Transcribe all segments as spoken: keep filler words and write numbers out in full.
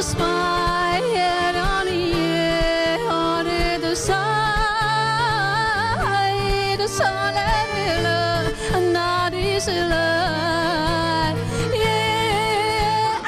Smile on on the side Yeah.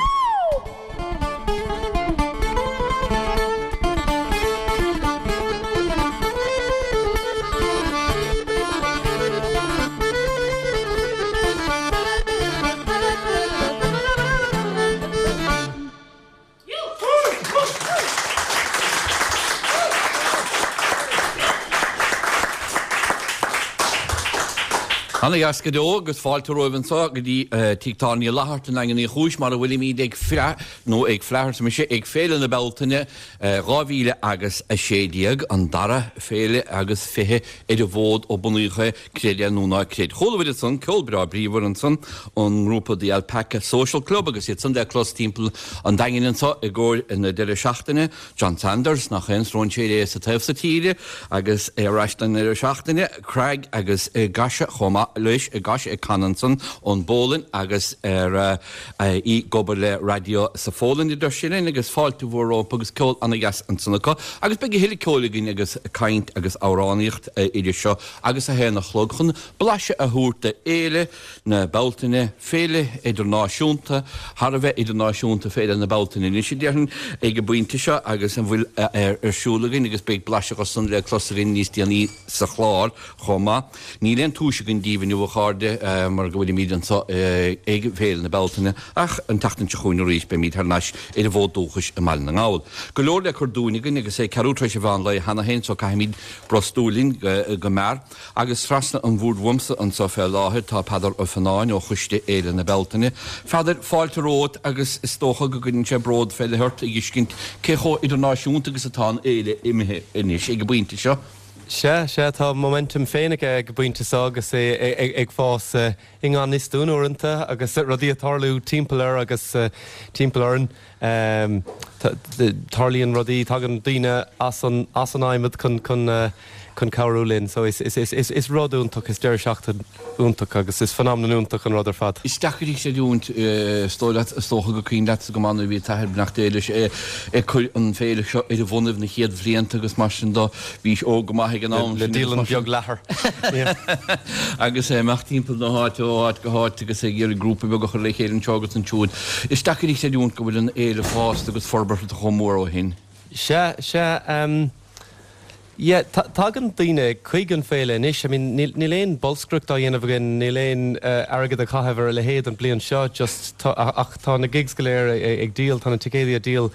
Ana dheas go deo agus fáilte romhaibh anseo go dtí Tigh Tábhairne Uí Fhlatharta i nDaingean Uí Chúis mar a bhfuilimid ag fleadh nó ag fleadh arsa mise ag Féile na Bealtaine dhá mhíle agus a sé déag, an dara féile agus fiche ar an bhfód ó bunaíodh é, creid é nó ná creid. Chuala muid ansan ceol breá bríomhar ansan ón ngrúpa The Alpaca Social Club agus iad san le clos timpeall an Daingin anseo i gcomhair na deireadh seachtaine. John Sanders, nach aon stróinséir é sa taobh so tíre agus é ar ais don deireadh seachtaine, Craic agus Gosia chomh maith leis, Gosia ag canadh ansan ón bPólainn agus ar í ag obair le raidió sa Phólainn idir sin linn agus fáilte mhór rompu agus ceol ana-dheas ansan acu. Agus beidh a thuilleadh ceoil againn agus caint agus amhránaíocht idir seo agus a haon a chlog chun blaiseadh a thabhairt de Fhéile na Bealtaine, féile idirnáisiúnta, thar a bheith idirnáisiúnta Féile na Bealtaine anois a déarfainn ag an bpointe seo agus an bhfuil ar siúl againn agus beidh blaiseadh de san le clos againn níos déanaí sa chlár chomh maith. Níl aon túis againn daoibh inniu a chairde mar go bhfuilimid anseo ag Féile na Bealtaine ach an tseachtain seo chugainn arís beimid thar n-ais ar an bhfód dúchais i mBaile na nGall. Go leor le cur dúinn againn agus é ceathrú tar éis an mheán lae cheana féin so caithfimid brostú linn go mear. Agus trasna an bhoird uaimse anseo fé láthair tá Peadar Ó Fionnáin ó Choiste Fhéile na Bealtaine. Pheadair, fáilte romhat agus is dócha go gcuireann sé bród fé leith ort a fheiscint cé chomh idirnáisiúnta agus atá an fhéile imithe anois ag an bpointe seo. Sea, sea, tá momentum féin aige ag an bpointe seo agus é ag fás i ngan fhios dúinn uaireanta agus rudaí ag tarlú timpeall air agus timpeall orainn. Tarlaíonn rudaí, tagann daoine as an as an adhmad chun chun chun cabhrú linn. So is is is is rud iontach, is deireadh seachtaine iontach agus is phenomenon iontach an rud ar fad. Is deacair a chreidiúint, is dóigh leat, is dócha gur cuimhin leatsa go maith nuair a bhí t'athair, beannacht Dé leis, ag cur an féile seo ar a bhonnaibh na chéad bhlianta agus mar sin do, bhís óg go maith ag an am Le sin agus dialann mar sin. beag leathair. Agus é ag imeacht timpeall na háite ó áit go háit agus ag iarraidh grúpa beag a chur le chéile anseo agus ansiúd. Is deacair a chreidiúint go bhfuil an fhéile fásta agus forbartha chomh mór ó shin. Sea, sea, um, yeah, tagann daoine chuig an féile anois, I mean, níl, níl aon bolscaireacht á dhéanamh againn, níl aon uh, airgead a chaitheamh ar a leithéid an bliain seo, just tá, ach tá na gigs go léir ag, ag díol, tá na ticéidí ag díol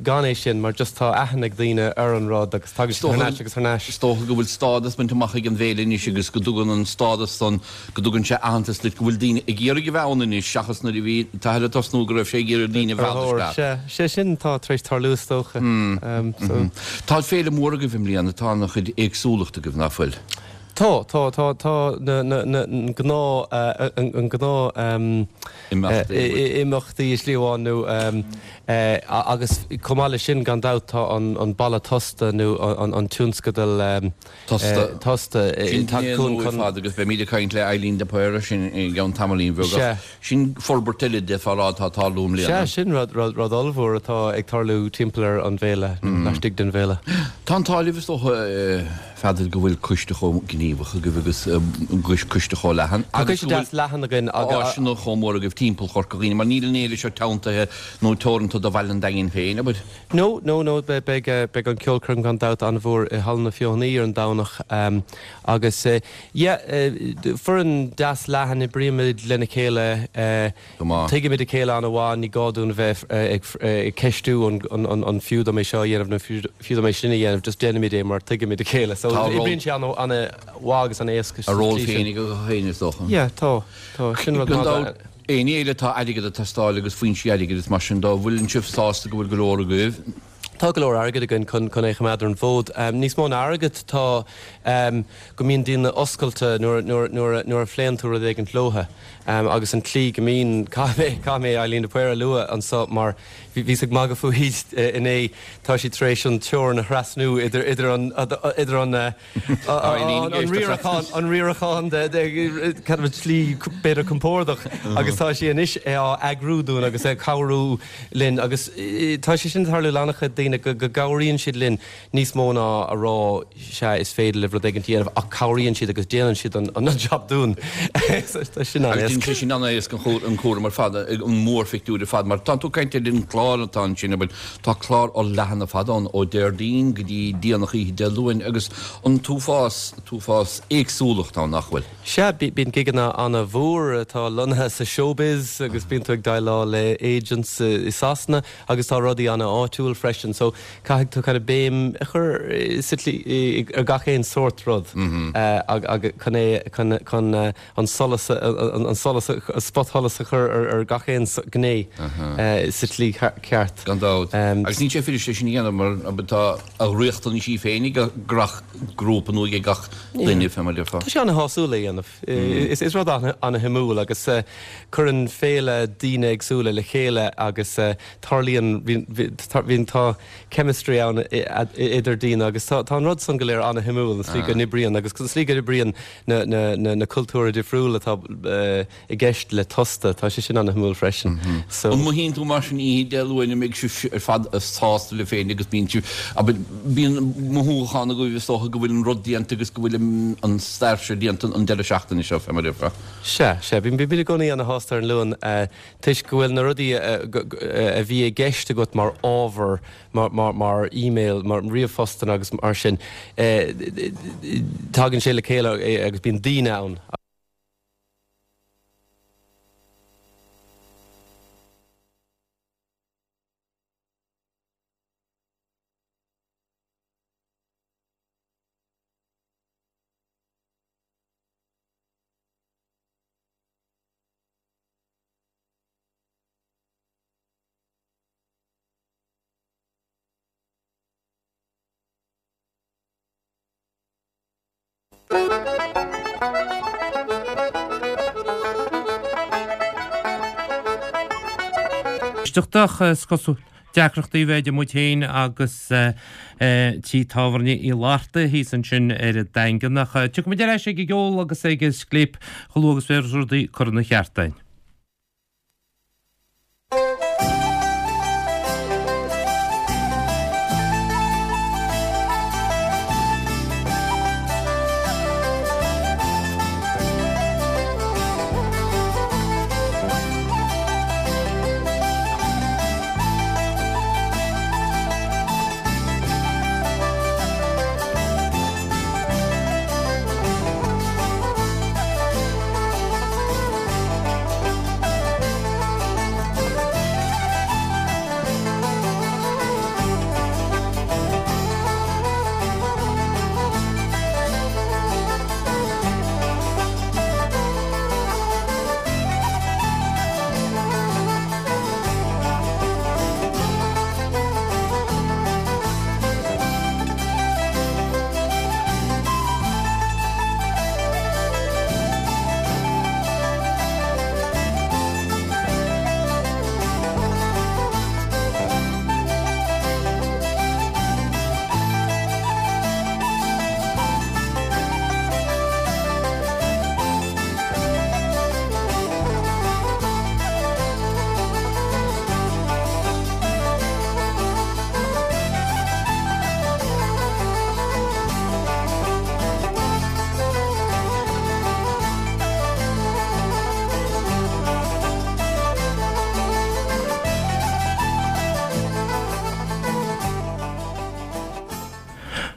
gan é sin, mar just tá aithne ag daoine ar an rud agus tagann siad thar n-ais agus thar n-ais. Is dócha go bhfuil stádas bainte amach ag an bhféile anois agus go dtugann an stádas san, go dtugann sé aitheantas duit go bhfuil daoine ag iarraidh a bheith ann anois seachas nuair a bhí t'athair ag tosnú go raibh sé ag iarraidh daoine a Ar mhealladh thóir, isteach. sea, sé sin tá tar éis tarlú is dócha. Um, so. Tá féile mór agaibh i mbliana, tá an-chuid éagsúlacht agaibh nach bhfuil? Tá, tá, tá, tá na, na, na, an gnáth, uh, an, an gnáth um, Imeachtaí. eh, i- imeachtaí i slí amháin nó um, eh, agus chomh maith leis sin gan dabht tá an, an balla tosta nó an, an tionscadal um, Tosta. eh, tosta eh, Sin tá chun chun- chun- fad agus beimid ag caint le Eileen de Paor sin i gceann tamaillín bheag Sea. ach sin forbairt eile de fá atá tarlú i mbliana. Sea, sin rud, rud, rud ollmhór atá ag tarlú timpeall ar an bhféile, nó laistigh den bhféile. Tá an t-ádh libh is dócha Pheadair go bhfuil coiste chomh gníomhach agaibh agus coiste chomh leathan. Tá coiste deas leathan againn agus áiseanna chomh mór agaibh timpeall Chorca Dhuibhne, mar níl an fhéile seo teanntaithe nó teoranta do Bhaile an Daingin féin, abair. No, no, no, beidh beidh an ceolchoirm gan dabht an-mhór i Halla na Feothanaí ar an Domhnach um, agus uh, yeah, uh, foireann deas leathan oibrímid lena chéile uh, Go maith. tuigimid a chéile an-mhaith ní gá dúinn bheith ag, ag ceistiú an, an, an, an fiú dom é seo a dhéanamh nó fiú fiú dom é sin a dhéanamh, just déanaimid é mar tuigimid a chéile. So Tá ról- oibríonn sé an an-mhaith agus an-éasca A ról féin ag féin is dócha. Yeah, tá, tá, sin rud Gan maith. dabht, aon fhéile tá airgead ag teastáil agus foinsí airgid is mar sin dá bhfuil sibh sásta go bhfuil go leor agaibh Tá go leor airgead againn chun chun é a choimeád ar an bhfód. Um, níos mó ná airgead tá um, go mbíonn daoine oscailte nuair, nuair, nuair, nuair a phléann tú rud éigin leo. Um, agus an tslí go mbíonn caithfidh mé caithfidh mé Eileen de Paor a lua anseo mar bhí ag magadh fúithi inné tá sí tar éis an teorainn a thrasnú idir idir an idir an an riarachán an riarachán de kind of slí b'fhéidir compordach agus tá sí anois á eagrú dúinn agus ag cabhrú linn agus tá sé sin tarlú le an-chuid daoine go go gcabhraíonn siad linn níos mó ná a rá sé is féidir libh rud éigin a dhéanamh ach cabhraíonn siad agus déanann siad an an job dúinn. Tá sin an sé sin an-éasca an cúram ar fad an mórphictiúr ar fad mar tá tú caint ar an clár atá ansin but tá clár ó leathan ar fad ann ó Déardaoin go dtí déanach oíche Dé Luain agus an t-uafás t-uafás éagsúlacht ann nach bhfuil. Sea, bíonn gigeanna an-mhór atá lonnaithe sa showbiz agus bíonn tú ag déileáil le agents i Sasana agus tá rudaí an-áitiúil freisin, so caithfidh tú kind of béim a chur sa tslí ar gach aon sórt rud chun é chun chun an solas an solas spotsholas a chur ar gach aon gné sa tslí ceart. Gan dabht. Agus níl sé fuirist é sin a dhéanamh mar tá a riachtanaisí féin ag gach grúpa nó ag gach duine fé mar a déarfá. Tá sé an-shásúil a dhéanamh. Is is rud an-shuimiúil agus cuireann féile daoine éagsúla le chéile agus tarlaíonn bhíonn tá chemistry ann idir daoine agus tá an rud san go léir an-shuimiúil an slí go n-oibríonn agus an slí go n-oibríonn na na na na cultúir difriúla atá i gceist le Tósta, tá sé sin an-shuimiúil freisin. So An mothaíonn tú mar sin oíche Dé Luain an mbeidh sibh ar fad sásta libh féin agus bíonn sibh bíonn mothúchán agaibh is dócha go bhfuil an rud déanta agus go bhfuil an stair seo déanta an deireadh seachtaine seo fé mar a déarfá. Sea, sea, bíonn bíonn i gcónaí ana-shásta ar an Luan toisc go bhfuil na rudaí a bhí i gceist agat mar ábhar mar mar mar email, mar ríomhphostanna agus mar sin, tagann sé le chéile agus bíonn daoine ann. Éisteacht is cosúil deacrachtaí a bheith idir muid féin agus Tigh Tábhairne Uí Fhlatharta thíos ansin ar an Daingean ach tiocfaidh muid ar ais ag an gceol agus ag an scléip chomh luath agus bheas rudaí curtha ina cheart againn.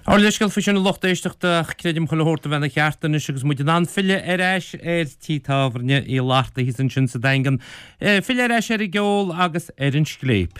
Ár leithscéal faoi sin a lucht éisteachta ach creidim chuile shórt a bheith ina cheart anois agus muid in ann filleadh ar ais ar Tigh Tábhairne Uí Fhlatharta thíos ansin sa Daingean. Filleadh ar ais ar an gceol agus ar an scléip.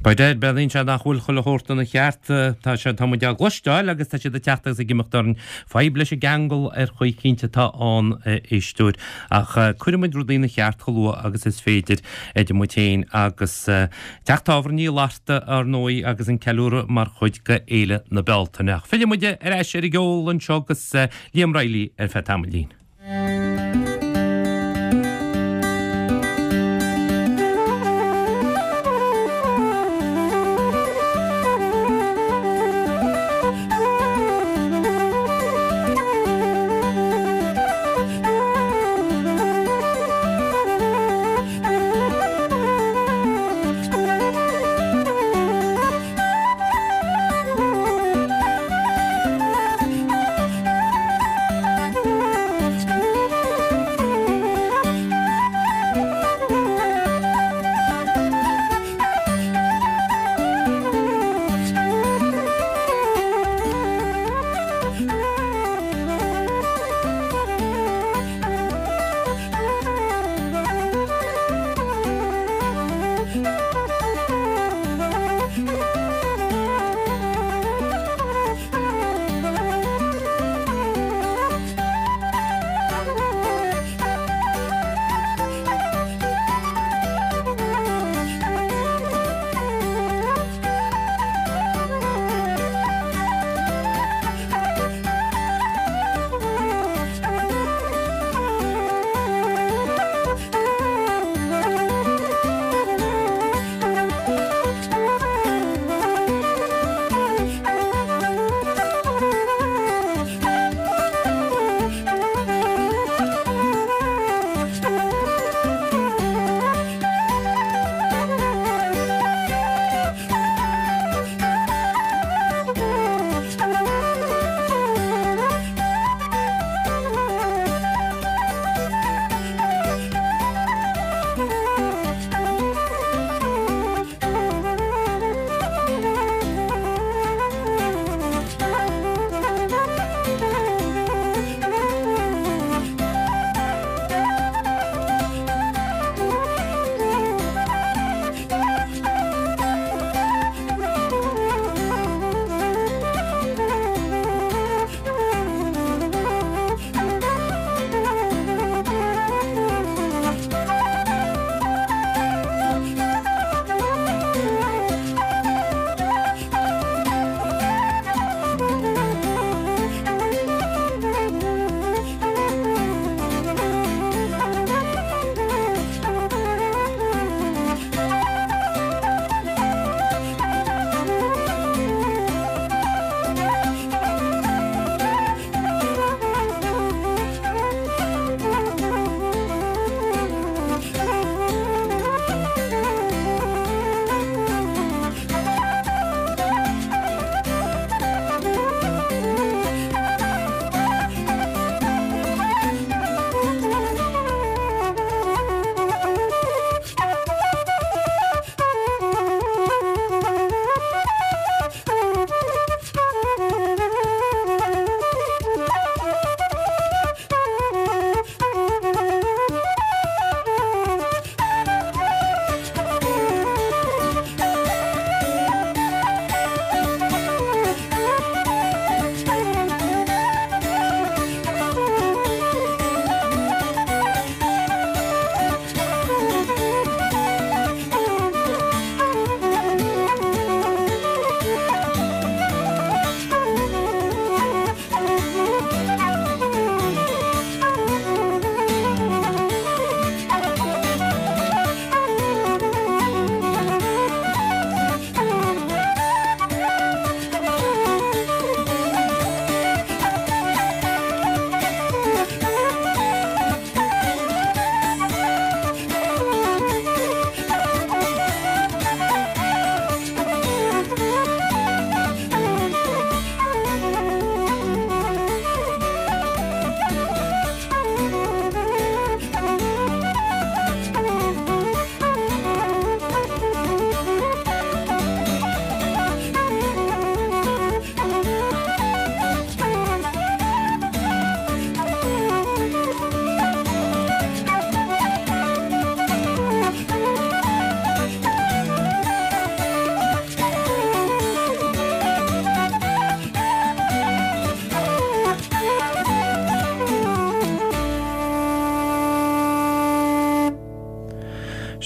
B'fhéidir, breathnaíonn sé nach bhfuil chuile shórt ina cheart. Tá sé, tá muid á gcloisteáil agus tá siad ag teacht agus ag imeacht orainn. Fadhb leis an gceangal ar chaoi eicínt atá ann, a éisteoir. Ach cuirfidh muid rudaí ina cheart chomh luath agus is féidir, idir muid féin agus Teach Tábhairne Uí Fhlatharta, ar ndóigh, agus an ceiliúradh mar chuid de Fhéile na Bealtaine. Ach fillfidh muid ar ais ar an gceol anseo agus Liam Reilly ar feadh tamaillín.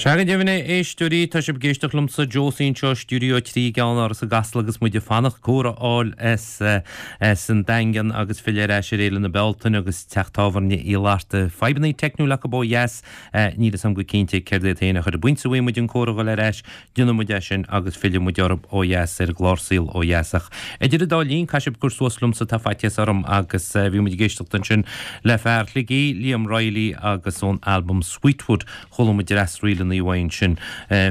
Sea go deimhin a éisteoirí, tá sibh ag éisteacht liomsa Josie anseo i Stiúideo a trí i gCeannáras i gCasla agus muid ag fanacht comhrá a fháil as as an Daingean agus filleadh ar ais ar Fhéile na Bealtaine agus teach tábhairne Uí Fhlatharta. Fadhbanna teicniúla acu ó dheas, níl a fhios agam go cinnte céard iad féin ach ar an bpointe a bhfaighidh muid an comhrá a dhul ar ais, déanfaidh muid é sin agus fillfidh muid orthu ó dheas ar an gclár Saol ó Dheas. Ach idir an dá linn, caithfidh sibh cur suas liomsa, tá faitíos orm agus bhí muid ag éisteacht ansin le fear Shligigh, Liam Reilly agus ón albam Sweetwood, chuala muid dreas ríleanna uaidh ansin.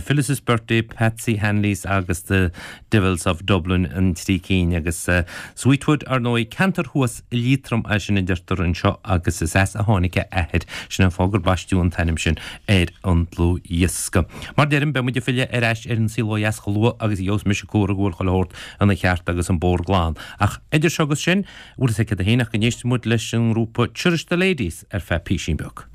Phyllis's Birthday, Patsy Hanley's agus The Devils of Dublin an trí cinn agus Sweetwood, ar ndóigh, ceantar thuas i Liatroim é sin a deirtear anseo agus is as a tháinig a athair. Sin an fáth gur baisteadh an t-ainm sin ar an dlúthdhiosca. Mar deirim, beidh muid ag filleadh ar ais ar an saol ó dheas chomh luath agus a gheobhas mise comhartha go bhfuil chuile shórt ina cheart agus an bóthar glan. Ach idir seo agus sin, bhfuil fhios agat féin ach go n-éistfidh muid leis an ngrúpa Church the Ladies ar feadh písín beag.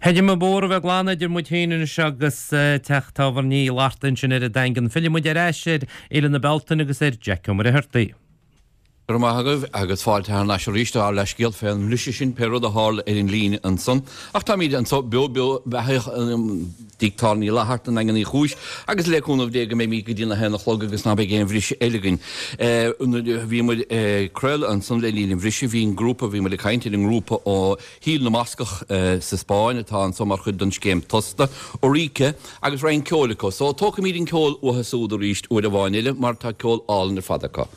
Chreidim an bóthar a bheith glan idir muid féin anois agus teach tábhairne Uí Fhlatharta ansin ar an Daingean. Fillfidh muid ar ais ar Fhéile na Bealtaine agus ar Jack Ó Muircheartaigh. Go raibh maith agaibh agus fáilte thar n-ais arís ár leithscéal fén mbriseadh sin, pé rud a tharla ar an líne ansan. Ach táimid anso beo beo beathaíoch i dTigh Tábhairne Uí Fhlatharta i nDaingean Uí Chúis agus le cúnamh Dé go mbeimid go dtí na haon a chlog agus ná beidh aon bhriseadh eile againn. Nuair a bhí muid ag craoladh ansan le linn an bhriseadh bhí an grúpa, bhí muid ag caint ar an ngrúpa ó Thír na mBascach sa Spáinn atá anso mar chuid den scéim Tosta, Eureka, agus roinnt ceoil acu. So tógfaimid an ceol uathu súd arís uair amháin eile mar tá ceol álainn ar fad acu.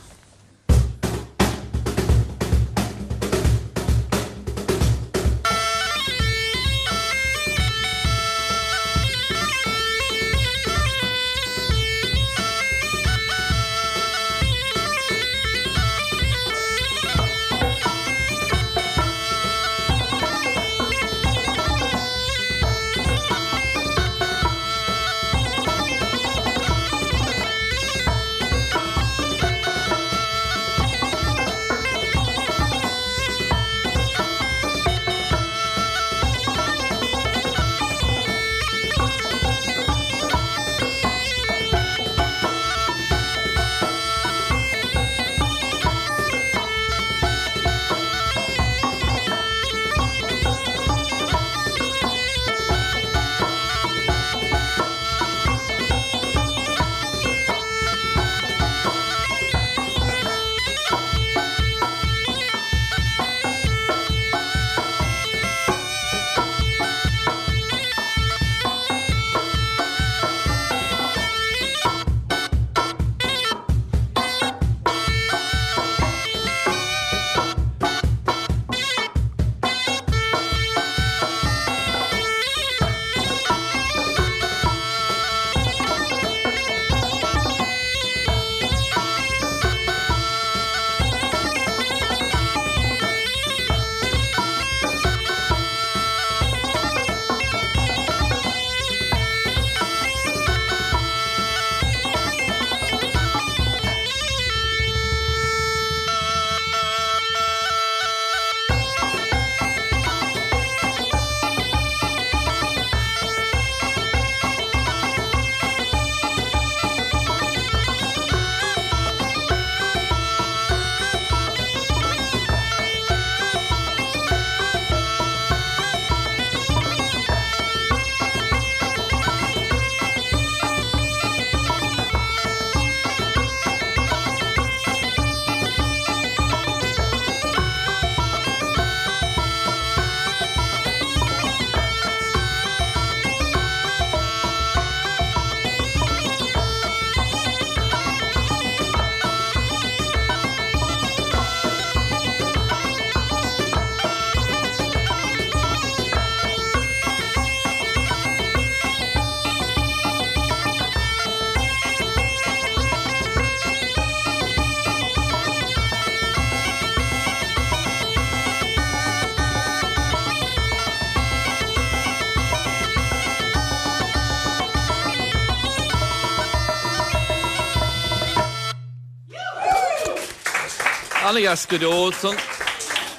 Ana-dheas go deo san.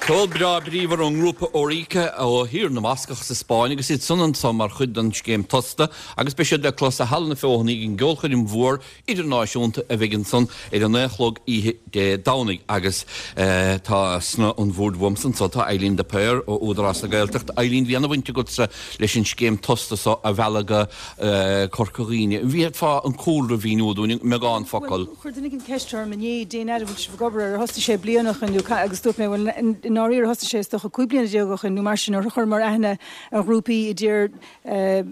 Ceol breá bríomhar ón ngrúpa Oreka ó Thír na mBascach sa Spáinn agus iad san anso mar chuid den scéim Tosta agus beidh siad le clos i Halla na Feothanaí ag an gceolchoirm mhór idirnáisiúnta a bheidh ansan ar a naoi a chlog oíche Dé Domhnaigh agus tá sna an bhord uaimse anso tá Eileen de Paor ó Údarás na Gaeltachta. Eileen, bhí ana-bhaint agatsa leis an scéim Tosta so a mhealladh go Corca Dhuibhne. An bhféadfá an cúlra a mhíniú dúinn i mbeagán focal? Bhuel, chuir duine éigin ceist orm inné, Dén fhad a bhfuil sibh ag obair air, ar thosaigh sé bliain ó shin nó agus dúirt mé, bhuel, i ndáiríre thosaigh sé is dócha cúig bliana déag ó shin nó mar sin nuair a chuireamar aithne ar ghrúpaí i dtír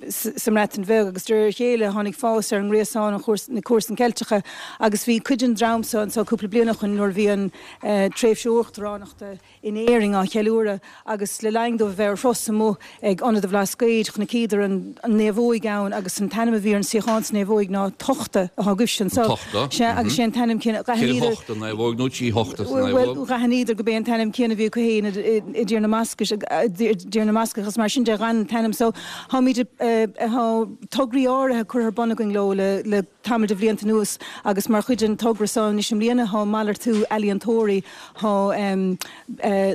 sa mBreatain Bheag agus de réir a chéile tháinig fás ar an ngréasán, an chúrsa, na comharsan Ceilteacha agus bhí cuid den dream seo anseo cúpla bliain ó shin nuair a bhí an tréimhse uachtaránachta in Éirinn á cheiliúradh agus le linn dóibh a bheith ar thuras amuigh ag Ionad an Bhlascaoid chonaiceadar an naomhóig ann agus an t-ainm a bhí ar an suíochán sa naomhóig ná Tochta atá agaibhse anseo. Tochta. Sea, agus sé an t-ainm céanna. Ceithre thochta naomhóig nó trí thochta sa naomhóg. Bhuel, d'aithníodar gurb é an t-ainm céanna a bhí acu féin i dTír na mBascach, i dTír na mBascach agus mar sin de d'fhan an t-ainm so. Táimid, tá tograí áirithe curtha ar bun againn leo le le tamall de bhlianta anuas agus mar chuid den togra so anois i mbliana tá malartú ealaíontóirí, tá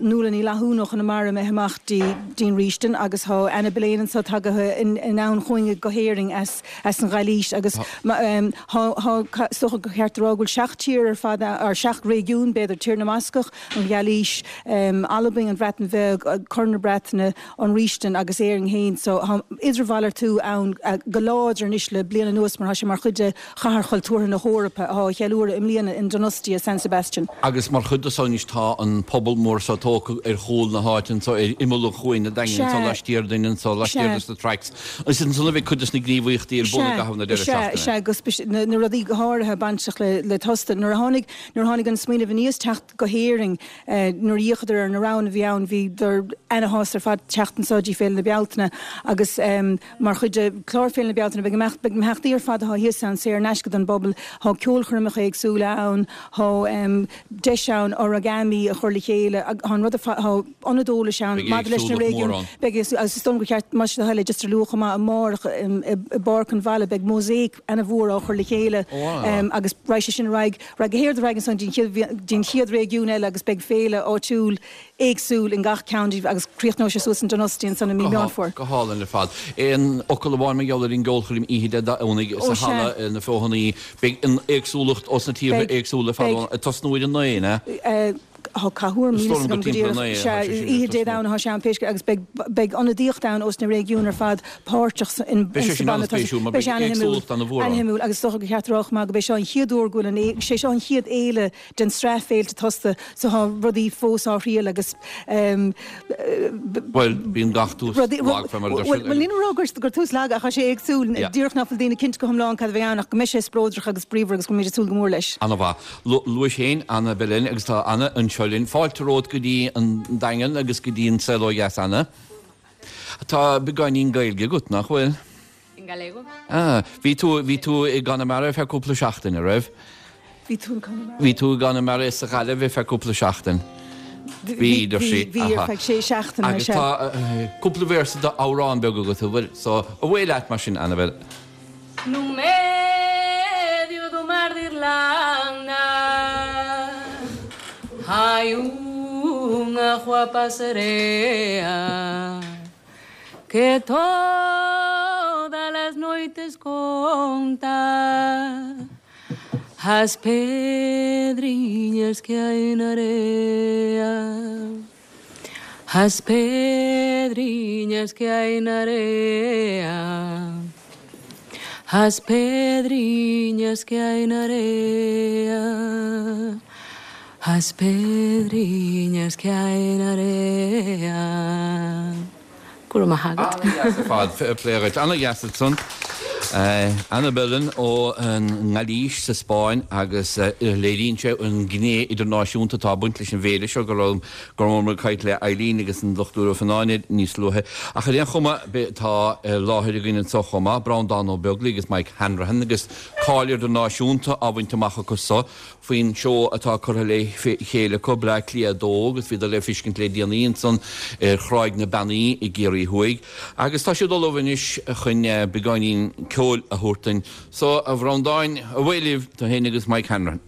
Nuala Ní Fhlathúin ó Chonamara imithe amach dtí an Rístin agus tá Ana Belén anso tagaithe anonn chugainn go hÉirinn as an Ghailís agus tá, is dócha gur cheart a rá go bhfuil seacht tír ar fad, or seacht réigiún b'fhéidir, Tír na mBascach, an Ghailís, Albain, an Bhreatain Bheag, Corn na Breataine, an Rístin agus Éirinn féin. So tá idirmhalartú ann go láidir anois le bliain anuas mar tá sé mar chuid de Chathair Chultúrtha na hEorpa atá á cheiliúradh i mbliana in Donostia, San Sebastian. Agus mar chuid de so anois tá an puball mór so tógtha ar chúl na háite anso, ar imeall an chuain, an Daingean anso, Sea. laistiar dúinn anso, laistiar Sea. dos na tracks. Is ansan a bheidh cuid dos na gníomhaíochtaí ar bun i Sea, gcaitheamh na deireadh sea, seachtaine. sea, agus na, na rudaí go háirithe bainteach le, le Tosta. Nuair a tháinig, nuair a tháinig an smaoineamh aníos teacht go hÉirinn, nuair a d'fhéachadar ar na roghanna a bhí ann, bhíodar ana-shásta ar fad teacht anso dtí Féile na Bealtaine agus mar chuid de chlár Féile na Bealtaine beidh imeacht, beidh na himeachtaí ar fad atá thíos ann saor in aisce don bpobal, tá ceolchoirmeacha éagsúla ann, tá deis ann origami a chur le chéile, tá an rud ar fad, tá ionad eolais ann Beidh maidir leis na éagsúlacht mór réigiúin, ann. beidh éagsú, agus is dóigh liom gur cheart, más é do thoil é, just a lua chomh maith amárach i bPáirc an Bhaile beidh mósáic ana-mhór á chur le chéile Ó, an-mhaith. agus raghaidh sé sin ar aghaidh, raghaidh go hard ar aghaidh ansan dtí an chéad réigiún eile agus beidh féile áitiúil éagsúil in gach ceann díobh agus críochnóidh sé suas in Donosti ansan i mí Meán Fómhair. Go hálainn ar fad. Aon fhocal amháin mar gheall ar an gceolchoirm oíche Dé Domhnaigh sa halla na Feothanaí. Beidh an éagsúlacht ós na tíortha éagsúla ar fad ann. Ag tosnú ar a naoi, an ea? Tá cá huair níl fhios agam go díreach. Sea, oíche Dé Domhnaigh atá sé ann pé scéal agus beidh beidh ionadaíocht ann ós na réigiúin ar fad páirteach sa in Beidh sé sa sin bhanna tosaigh. an-spéisiúil mar Beidh beidh sé ana-shuimiúil. éagsúlacht an-mhór ann. Ana-shuimiúil agus is dócha gur cheart a rá chomh maith go b'é seo an chéad uair go bhfuil an sé seo an chéad fhéile den sraith féilte Tosta so tá rudaí fós á thriail agus ehm Bhuel, bíonn gach tús rudaí lag fé mar a deir Bhuel siad. bhuel níl mé ag rá gur gur tús lag ach tá sé éagsúil. Yeah. Díreach nach bhfuil daoine cinnte go hiomlán cad a bheidh ann ach go mbeidh sé spleodrach agus bríomhar agus go bhfuilimid ag súil go mór leis. Ana-mhaith. Luais féin Ana Belén agus tá Ana anseo linn. Fáilte romhat go dtí an Daingean agus go dtí an Saol Ó Dheas, Ana. Tá beagáinín Gaeilge agat, nach bhfuil? In galego. Ah, bhí tú, bhí tú i gConamara ar feadh cúpla seachtain, an raibh? Bhí tú in Conamara. Bhí tú i gConamara is sa Ghaillimh ar feadh cúpla seachtain. Bhí, deir sí. Bhí ar feadh sé seachtaine, Agus sea. tá cúpla véarsa d'amhrán beag agat, an bhfuil? So, away leat mar sin, Annabel. No medio do mar de Irlanda Hai unha guapa serea Que todas as noites conta As pedriñas que hai na area As pedriñas que hai na area As pedriñas que hai na area As pedriñas que hai na area Go raibh maith agat. Ana-dheas ar fad, fair play dhuit. Ana-dheas ansan. Ana Belén ón nGailís sa Spáinn agus léiríonn sé an ghné idirnáisiúnta atá ag baint leis an bhféile seo go raibh go rabhamar ag caint le Eileen agus an Dochtúir Ó Fionnáin níos luaithe. Ach ar aon chuma tá i láthair againn anseo chomh maith, Breandán Ó Beaglaoich agus Mike Hanrahan agus cáil idirnáisiúnta á bhaint amach acu so faoin seó atá curtha le chéile acu, Bleá Cliath a Dó agus bhíodar le feiscint le déanaí ansan ar Thráigh na Beannaí i gCiarraí Thuaidh. Agus tá siad ullamh anois chun beagáinín ceoil a thabhairt dúinn. So, a Bhreandáin, away libh, tú féin agus Mike Hanrahan.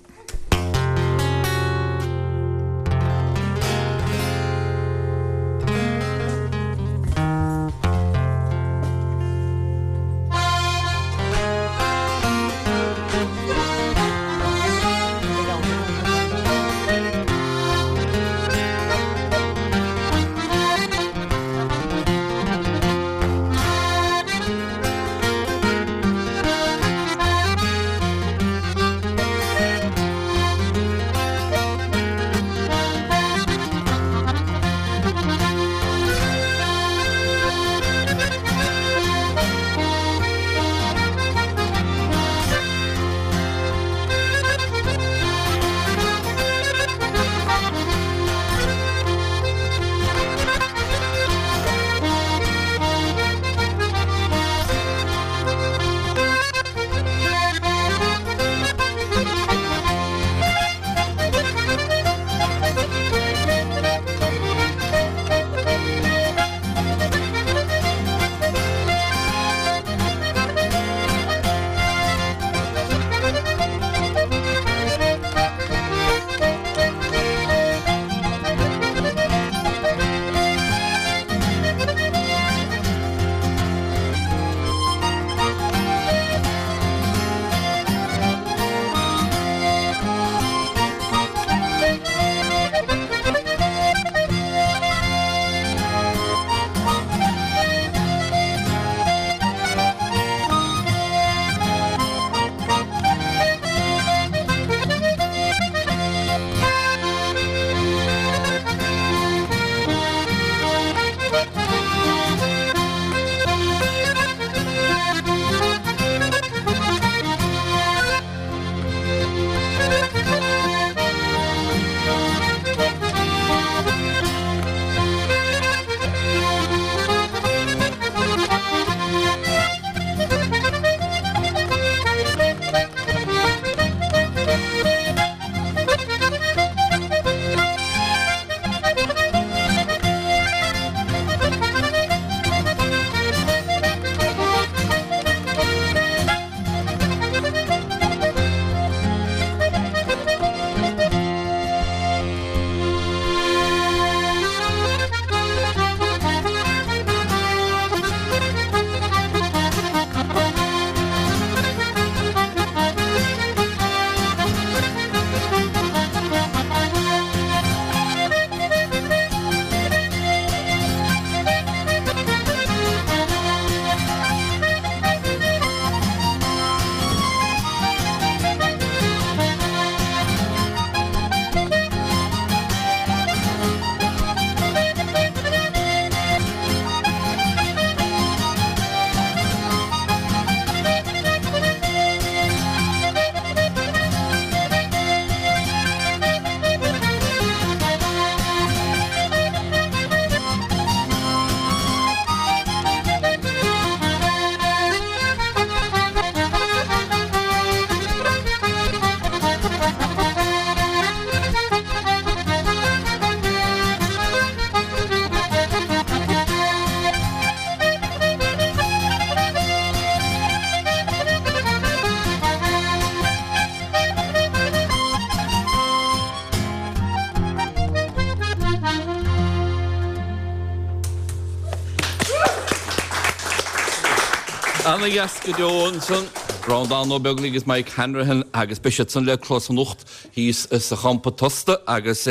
Ana dheas go deo ansan, Breandán Ó Beaglaoich agus Mike Hanrahan agus beidh siad san le clos anocht thíos sa champa tosta agus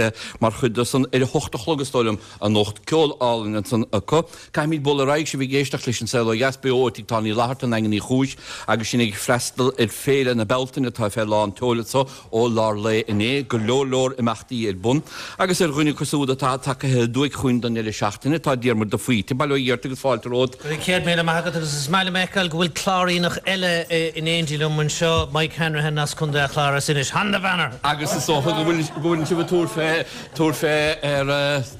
mar chuid de san ar a hocht a chlog is dóigh liom anocht. Ceol álainn ansan acu. Caithfimid bualadh ar aghaidh, sibh ag éisteacht leis an Saol Ó Dheas beo ó Tigh Tábhairne Uí Fhlatharta i nDaingean Uí Chúis agus sinn ag freastal ar Féile na Bealtaine atá fé lán tseoil anso ó lár lae inné. Go leor leor imeachtaí ar bun agus ar dhuine acu siúd atá tagaithe aduaidh chugainn don deireadh seachtaine tá Diarmuid de Faoite. Bail ó Dhia ort agus fáilte romhat. Go raibh céad míle maith agat agus is maith liom a fheiceáil go bhfuil Cláiríneach eile in éindí liom anseo, Mike Hanrahan as Contae an Chláir as Inis. Han the Banner! Agus is dócha go bhfuil go bhfuil sibh ag tabhairt fé tabhairt fé ar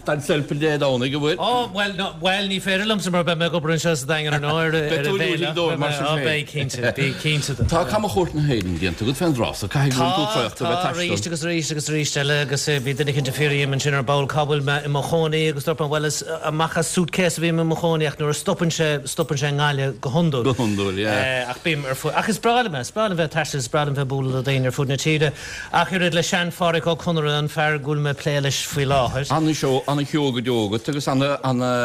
Dan Selpin Dé Domhnaigh, an bhfuil? Ó, bhuel, no, bhuel, ní féidir liomsa mar beidh mé ag obair anseo sa Daingean ar ndóigh ar Beidh ar tú an ag bhféile. dóibh mar sin Ó, féin. beidh, cinnte, bí cinnte de. Tá camchuairt na hÉireann déanta agat fén dtráth so, caithfidh go bhfuil tú Tá, traochta a bheith tá, arís taisteal. agus arís agus arís eile agus bhí duine éicint ag fiafraí dhíom ansin ar ball cá bhfuil mé i mo chónaí agus dúirt mé bhuel is amach as suitcase a bhím i mo chónaí ach nuair a stopann sé, stopann sé i nGaillimh go hiondúil. Go hiondúil, yeah. Ach bím ar fud, ach is breá liom é, is breá liom bheith ag taisteal, is breá liom bheith ag bualadh le daoine ar fud na tíre. Ach oiread le sean-Phádhraic Ó Conaire, an fear go bhfuil mé ag plé leis faoi láthair. Ana-sheó, ana-sheó go deo agat agus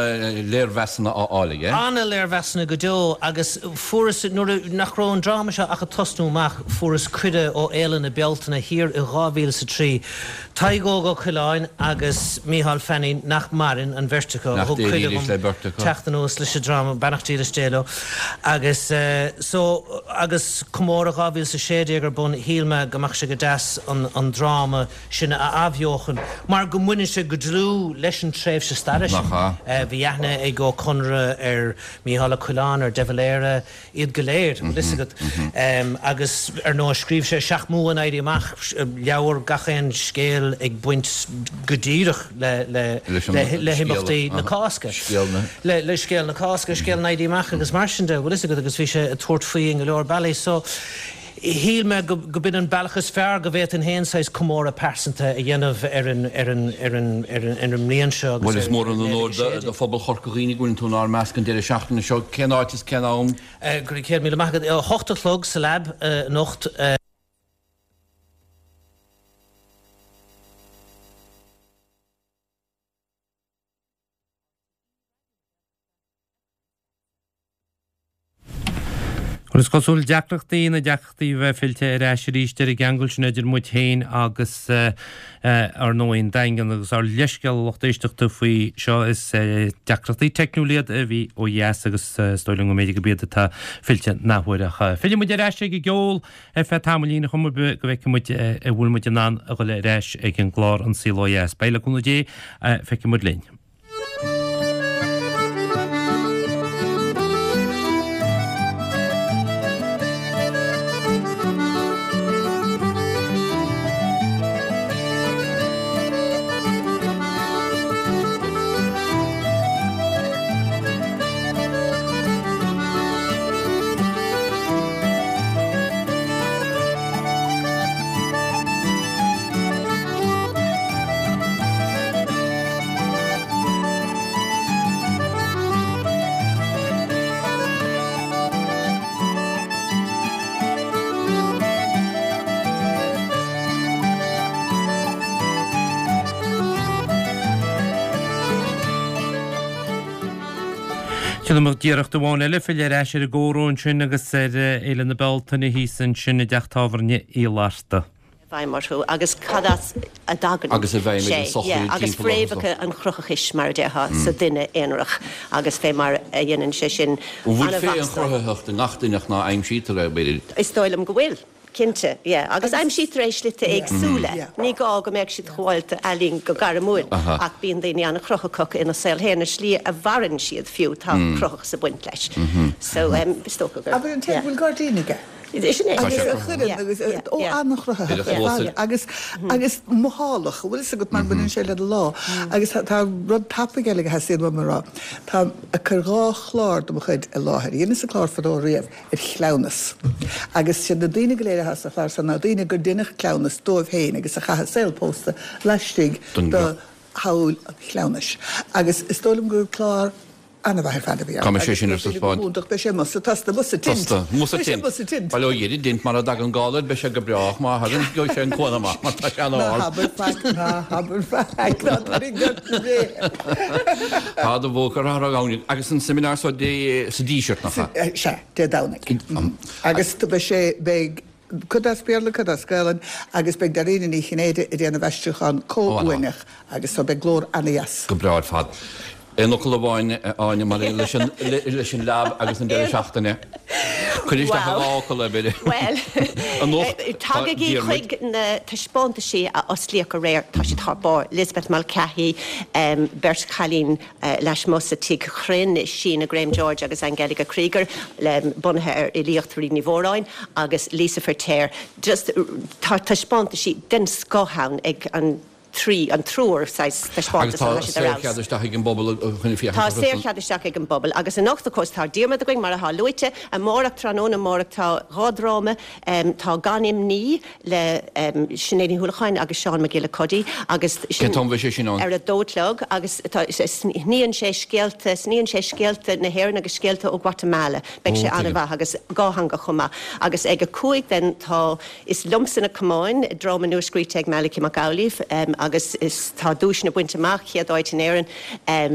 ana-léirmheasanna á fháil aige. Ana-léirmheasanna go deo agus fuaireas, nuair a, nach raibh an dráma seo ach ag tosnú amach, fuaireas cuireadh ó Fhéile na Bealtaine thiar i dhá mhíle is a trí. Tadhg Óg Ó Coileáin agus Mícheál Fanning, nach maireann, an bheirt acu, a Nach thug Dé cuireadh dílis dhom le beirt acu. teacht anuas leis an dráma, beannacht dílis Dé leo. Agus so, agus comóradh dhá mhíle is a sé déag ar bun, shíl mé go mbeadh sé go deas an, an dráma sin a athbheochan, mar go mbaineann sé go dlúth leis an tréimhse staire sin. Nach ea? Bhí aithne ag Ó Conaire ar Mícheál Ó Coileáin, ar De Valera, iad go léir, bhfuil fhios agat. Agus ar ndóigh scríobh sé Seacht mBua an Éirí Amach, leabhar gach aon scéal ag baint go díreach le, le, le, le himeachtaí na Cásca. Le, le scéal na Cásca, scéal an Éirí Amach agus mar sin de, bhfuil fhios agat, agus bhí sé ag tabhairt faoi in go leor bealaí. So, shíl mé go, go b'in an bealach is fearr go bhféadfainn féin saghas comóradh pearsanta a dhéanamh ar an, ar an, ar an, ar an, ar an mbliain seo agus Bhuel, is ar mór an naoi déag onóir a do, sé déag. do phobal Chorca Dhuibhne go bhfuil tú inár measc an deireadh seachtaine seo. Cén áit is cén am? Go raibh céad míle maith agat. A hocht a chlog sa Lab anocht. Bhuel, is cosúil deacrachtaí na deacrachtaí a bheith fillte ar ais arís ar an gceangal sin idir muid féin agus ar ndóigh an Daingean agus ár leithscéal a lucht éisteachta faoi seo is deacrachtaí teicniúla iad a bhí ó dheas agus is dóigh liom go mb'fhéidir gurb iad atá fillte an athuair ach fillfidh muid ar ais ag an gceol ar feadh tamaillín a chuma go bhfeicfidh muid an bhfuil muid in ann a dhul ar ais ag an gclár An Saol Ó Dheas. Beidh le cúnamh Dé, feicfidh muid linn. Déanfaidh muid iarracht amháin eile filleadh ar ais ar an gcomhrá ansin agus ar Fhéile na Bealtaine thíos ansin i dteach tábhairne Uí Fhlatharta. bhfeidhm orthu agus cad as a dtagann Agus i bhfeidhm ar an sé, sochaí yeah, agus timpeall orthu. fréamhacha an chruthaitheachais mar a déarfá sa duine aonarach agus fé mar a dhéanann sé sin An bhfuil féith an an-mheasúil. chruthaitheacht i ngach duine ach ná aimsítear é, b'fhéidir? Is dóigh liom go bhfuil. Cinnte, yeah. Agus aimsítear é i slite éagsúla. Ní gá go mbeadh siad chomhalta ealaín go gairmiúil, ach bíonn daoine an-chruthaitheach ina saol féin, an slí a mhaireann siad fiú, tá cruthaitheachas ag baint leis. So, um, is dócha gur. Abair an té go bhfuil gairdín aige. Sin é. Agus a chuireann agus ó an-chruthaitheach agus agus mothálach, bhfuil fhios agat mar baineann sé le do lá. Agus tá rud tapaidh eile a theastaíonn uaim a rá. Tá ag cur dhá chlár de mo chuid i láthair. Dheineas an clár fadó riamh ar chleamhnas. Agus siad na daoine go léir atá sa chlár san ná daoine gur deineadh cleamhnas dóibh féin agus a chaith a saol pósta laistigh Don de shamhail an chleamhnais. Agus is dóigh liom gur clár An-mhaith ar fad a bhí ann. Cá mbeidh sé sin ar taispeáint? Agus beidh sé amuigh sa tosta, amuigh sa tint. Tosta, amuigh sa Beidh sé tint. amuigh sa tint. Bail ó Dhia ar an dtint, mara dtagann galar beidh sé go brách, má thagann gheobhaidh sé an cuan amach mar tá sé Ná an-ard. habair faic, ná habair faic, ná tarraing ort na bréithe. Tá do bhóthar thar an gabhainn. Agus an seimineár so Dé sa Díseart, nach ea? Sea, Dé Domhnaigh. Agus beidh sé, beidh cuid as Béarla, cuid as Gaelainn agus beidh Dairena Ní Chinnéide ag déanamh aistriúchán comhuaineach agus so beidh glór ana-dheas. Go breá ar fad. Aon fhocal amháin, a Áine, maidir leis an leis an Lab agus an deireadh seachtaine. Cuir isteach i dhá fhocal, b'fhéidir. Bhuel, Anocht tá tagaigí Diarmuid. chuig na taispeántaisí a osclaíodh aréir, tá siad thar barr. Lisbeth Mulcahy, beirt chailín lasmuigh sa Tigh Chruinn, Síne Graham George agus Angelika Krieger, bunaithe ar fhilíocht Bhríd Ní Mhóráin, agus Lisa Feiritéar. Just tá taispeántaisí den scoth ann ag an trí, an triúr saghas Agus taispeántas tá atá siad ar fheabhas. saorchead isteach ag an bpobal chun féachaint Tá orthu. saorchead isteach ag an bpobal agus anocht of course tá Diarmuid againn mar atá luaite, amárach tráthnóna amárach tá dhá dráma, tá Gan Imní le Sinéad Ní Uallacháin agus Seán Mac Giolla Cuddy agus Cén t-am bheidh sé sin ann? ar a dó a chlog agus tá sníonn sé scéalta, sníonn sé scéalta na hÉireann agus scéalta ó Guatemala. Beidh sé Ó, tuigim. an-mhaith agus dátheangach chomh maith. Agus ag a cúig then tá Is Liomsa na Camáin, dráma nua-scríte ag Malachy Mac Amhlaoibh agus is tá duaiseanna bainte amach, chéad áit in Éirinn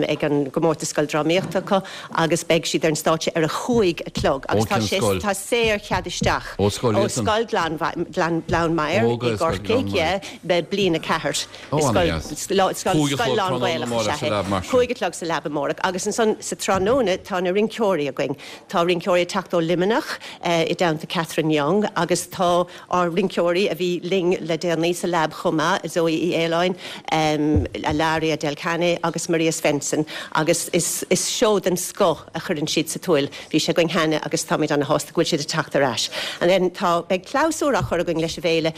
ag an gcomórtas scoildrámaíochta acu agus beidh siad ar an stáitse ar a cúig a chlog agus tá sé tá saorchead isteach Ó scoil ó Scoil Ghleann Maghair i gCorcaigh, yeah, bliain a ceathair. Ó, ana-dheas. Scoil Cúig a chlog tráthnóna lán-Ghaelach amárach is sa ea é. Lab mar sin. Cúig a chlog sa Lab amárach agus ansan sa tráthnóna tá na rinceoirí againn. Tá rinceoirí ag teacht ó Luimneach i dteannta Catherine Young agus tá ár rinceoirí a bhí linn le déanaí sa Lab chomh maith, Zoe Uí Fhaoláin, Ilaria Del Cane agus Maria Svensson agus is is seó den scoth a chuireann siad sa tóil. Bhí sé againn cheana agus táimid ana-shásta go bhfuil siad ag teacht ar ais. And then tá beidh clabhsúr á chur againn leis an bhféile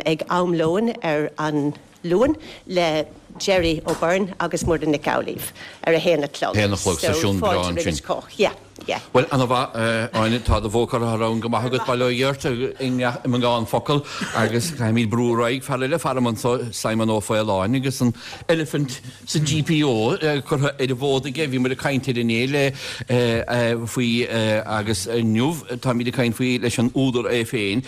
ag am lóin ar an Luan le Gerry O'Beirne agus Muireann Nic Amhlaoibh ar a haon a chlog. Haon a chlog, So seisiún breá fáilte roimh ansin. cách. Yeah. Yeah. Bhuel, ana mhaith, Áine, tá do bhóthar thar ann go maith agat, bail ó Dhia ort, i mbeagán focal agus caithfimid brú ar aghaidh, fear eile faram anso, Simon Ó Faoláin, agus an eilifint sa GPO curtha ar an bhfód aige, bhí muid ag caint air inné le faoi agus inniu táimid ag caint faoi leis an údar é féin.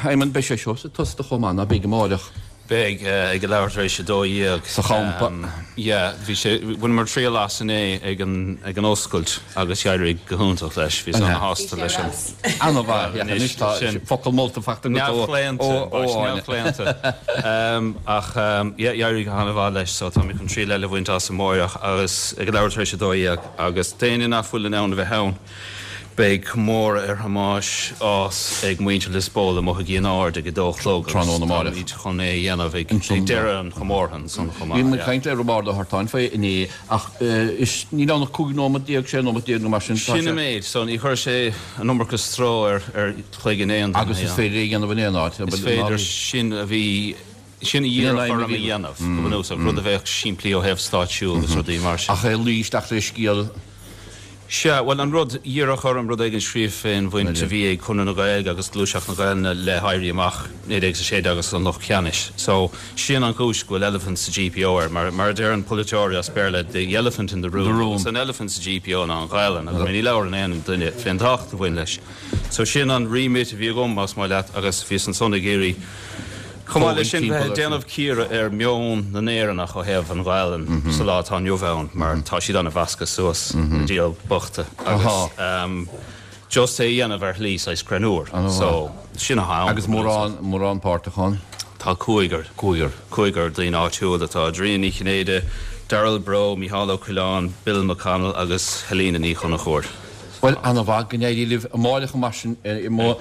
Simon, beidh sé seo sa tosta chomh maith, ná beidh amárach? Beidh, ag a leathuair tar éis a dó dhéag. Sa champa. Yeah, bhí sé, bhaineamar triail as inné ag an, ag an oscailt agus d'éirigh go hiontach leis, bhíos ana-shásta leis an. Ana-mhaith, yeah, anois tá focal molta faighte agat ó, Neamhchlaonta, ó, ó Áine. neamhchlaonta. Ach yeah, d'éirigh go hana-mhaith leis so tá mé chun triail eile a bhaint as amárach agus ag a leathuair tar éis a dó dhéag agus d'éinne nach bhfuil in ann a bheith ann, Beidh comóradh ar Thomáis Ághas ag muintir Lios Póil amuigh i gCionn Aird ag a dó a chlog agus Tráthnóna amárach. táimid chun é a dhéanamh ag deireadh an chomórtha ansan chomh Bhí maith. muid ag caint le Roibeárd Ó hArtáin faoi inné ach is níl ann ach cúig nóiméad déag, sé nóiméad déag nó mar sin. Sin an méid, so ní chuirfidh sé an iomarca stró ar ar chloigeann aon duine. Agus is féidir é a dhéanamh in aon áit. Is féidir, sin a bhí, sin a iarradh orm a dhéanamh go bunúsach, rud a bheadh simplí ó thaobh stáitsiú agus rudaí mar sin. Ach é luí isteach le scéal. Sea, bhuel, an rud, iarradh orm rud éigin scríobh fén bhaint a bhí ag Conradh na Gaeilge agus Gluaiseacht na Gaelainne le hÉirí Amach naoi déag a sé déag agus an Lucht Ceannais. So, sin an chúis go bhfuil Elephant sa GPO air, mar, mar a deireann polaiteoirí as Béarla, the elephant in the room. The room. Agus an elephant sa GPO ná an Ghaelainn, agus ní labhrann aon duine fén tábhacht a bhain leis. So, sin an remit a bhí agam, más maith leat, agus bhíos ansan ag iarraidh Chomh maith leis sin, bheith ag déanamh cíoradh ar mheon na nÉireannach ó thaobh an Ghaelainn sa lá atá inniu ann, mar tá siad an-mheasctha suas, na diabhail bochta, agus just é a dhéanamh ar shlí saghas greannmhar. So, sin atá ann. Agus mórán, mórán páirteach ann? Tá cúigear. Cúigear. Cúigear daoine áitiúil atá, Adrian Ní Chinnéide, Darrell Breaux, Mícheál Ó Coileáin, Bill McConnell agus Helena Ní Chonchúir. Bhuel, ana-mhaith, go n-éirí libh amárach mar sin i mo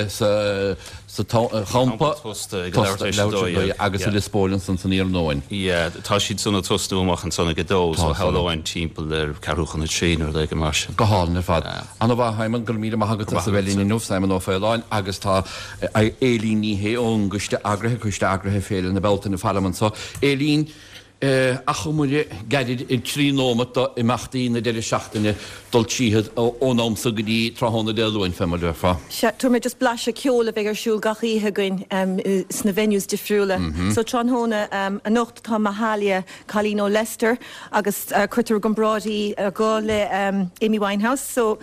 sa sa champa tosta ag leathuair tar éis a dó dhéag agus i Lios Póil ansan san iarnóin. Yeah, tá siad san ag tosnú amach ansan ag a dó, so shamhlóinn timpeall ar ceathrú chun a trí nó rud éigin mar sin. Go hálainn ar fad. Ana-mhaith, Simon, go raibh míle maith agat as a bheith linn inniu, Simon Ó Faoláin, agus tá Éilín Ní Shé ón gcoiste eagraithe, Coiste Eagraithe Féile na Bealtaine faram anso. Éilín, Achomair gairid i dtrí nóimeat do imeachtaí na deireadh seachtaine dul tríothu ón am so go dtí tráthnóna Dé Luain, fé mar a déarfá. Sea, tabharfaidh mé just blaiseadh ceoil a bheidh ar siúl gach oíche againn sna venues difriúla. So tráthnóna anocht tá Mahalia, cailín ó Leicester agus cuirtear i gcomparáid í go le Amy Winehouse so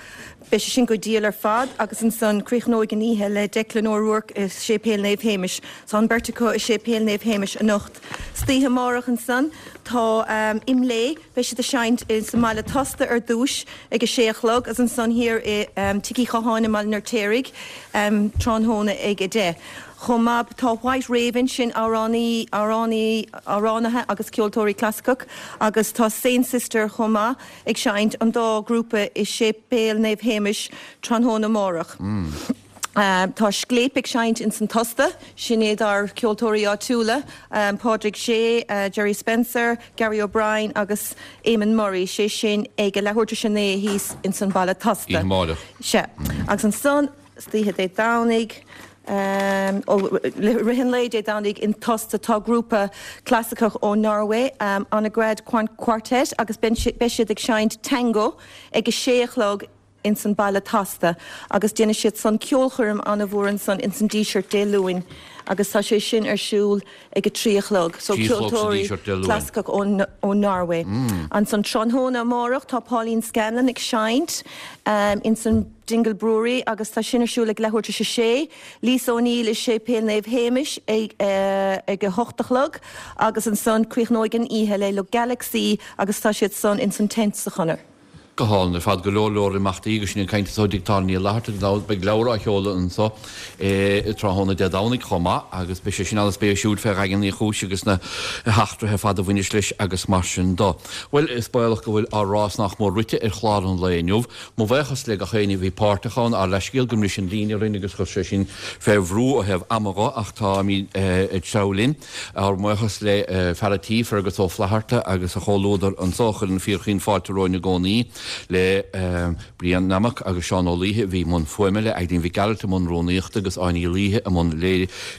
beidh sé sin go diail ar fad agus ansan críochnóidh an oíche le Declan O'Rourke i Séipéal Naomh Shéamais. So an beirt acu i Séipéal Naomh Shéamais anocht. Istoíche amárach ansan tá IMLÉ, beidh siad ag seinnt sa mBaile Tosta ar dtúis ag a sé a chlog agus ansan thiar i Tigh Uí Chatháin i mBaile an Fheirtéaraigh tráthnóna ag a deich. Chomh maith tá White Raven, sin amhránaí, amhránaí, amhránaithe agus ceoltóirí clasaiceach agus tá Saint Sister chomh maith ag seinnt, an dá ghrúpa i Séipéal Naomh Shéamais tráthnóna amárach. Tá Scléip ag seinnt ins an Tosta, sin iad ár ceoltóirí áitiúla, Pádraig Sé, Gerry Spencer, Gary O'Brien agus Eamon Murray, sé sin ag a leathuair tar éis a naoi thíos ins an Baile Tosta. Oíche amárach. Sea. Agus ansan, istoíche Dé Domhnaigh, I rith an lae Dé Domhnaigh in Tosta tá grúpa clasaiceach ó Norway, Annegrad Quartet, agus beidh siad ag seinnt tango ag a sé a chlog ins an Baile Tosta agus déanfaidh siad san ceolchoirm an-mhór ansan ins an Díseart Dé Luain agus tá sé sin ar siúl ag a trí a chlog. So ceoltóirí clasaiceach ó Norway. Ansan tráthnóna amárach tá Pauline Scanlon ag seinnt ins an Dingle Brewery agus tá sin ar siúl ag leathuair tar éis a sé. Lisa O'Neill i Séipéal Naomh Shéamais ag ag a hocht a chlog agus ansan críochnóidh an oíche le Le Galaxie agus tá siad san ins an tent sa Chonair. Go hálainn ar fad, go leor leor imeachtaí agus sinn ag caint anso i dTigh Tábhairne Uí Fhlatharta gan dabht beidh leabhar á sheoladh anso tráthnóna Dé Domhnaigh chomh maith agus beidh sé sin an-spéisiúil fé Dhaingean Uí Chúis agus na heachtraithe ar fad a bhaineas leis agus mar sin do. Bhuel, is baolach go bhfuil ár rás nach mór rite ar chlár an lae inniu. Mo bhuíochas le gach éinne a bhí páirteach ann, ár leithscéal go mbris an líne orainn agus chuir sé sin fé bhrú ó thaobh ama dho ach táimid ag treabhadh linn. Ár mbuíochas le fear a' tí, Fergus Ó Flatharta agus a chomhluadar anso a chuireann fíorchaoin fáilte romhainn i gcónaí. le Brian Nammock agus Seán Ó Laoithe a bhí i mbun fuaime, le Aideen Mhic Gearailt i mbun rúnaíochta agus Áine Uí Laoithe i mbun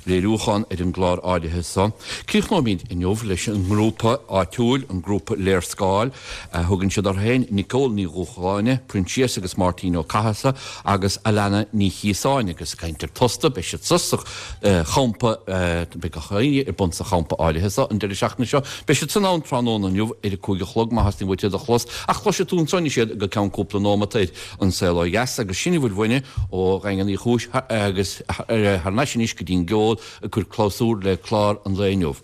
léiriúcháin ar an gclár áirithe so. Críochnóimid inniu leis an ngrúpa áitiúil, an grúpa Léarscáil a thugann siad orthu féin, Nicole Ní Dhúshláine, Proinsias agus Máirtín Ó Cathasaigh agus Alana Ní Chíosáin agus ag caint ar Tosta, beidh siad sa champa, beidh gach éinne ar bun sa champa áirithe so an deireadh seachtaine seo. Beidh siad san ann tráthnóna inniu ar a cúig a chlog má theastaíonn uait iad a chlos ach cloisfidh tú ansan iad go ceann cúpla nóimeat ar An Saol Ó Dheas agus sin a bhfuil uainne ó Dhaingean Uí Chúis agus thar n-ais anois go dtí'n gceol ag cur clabhsúr le clár an lae inniu.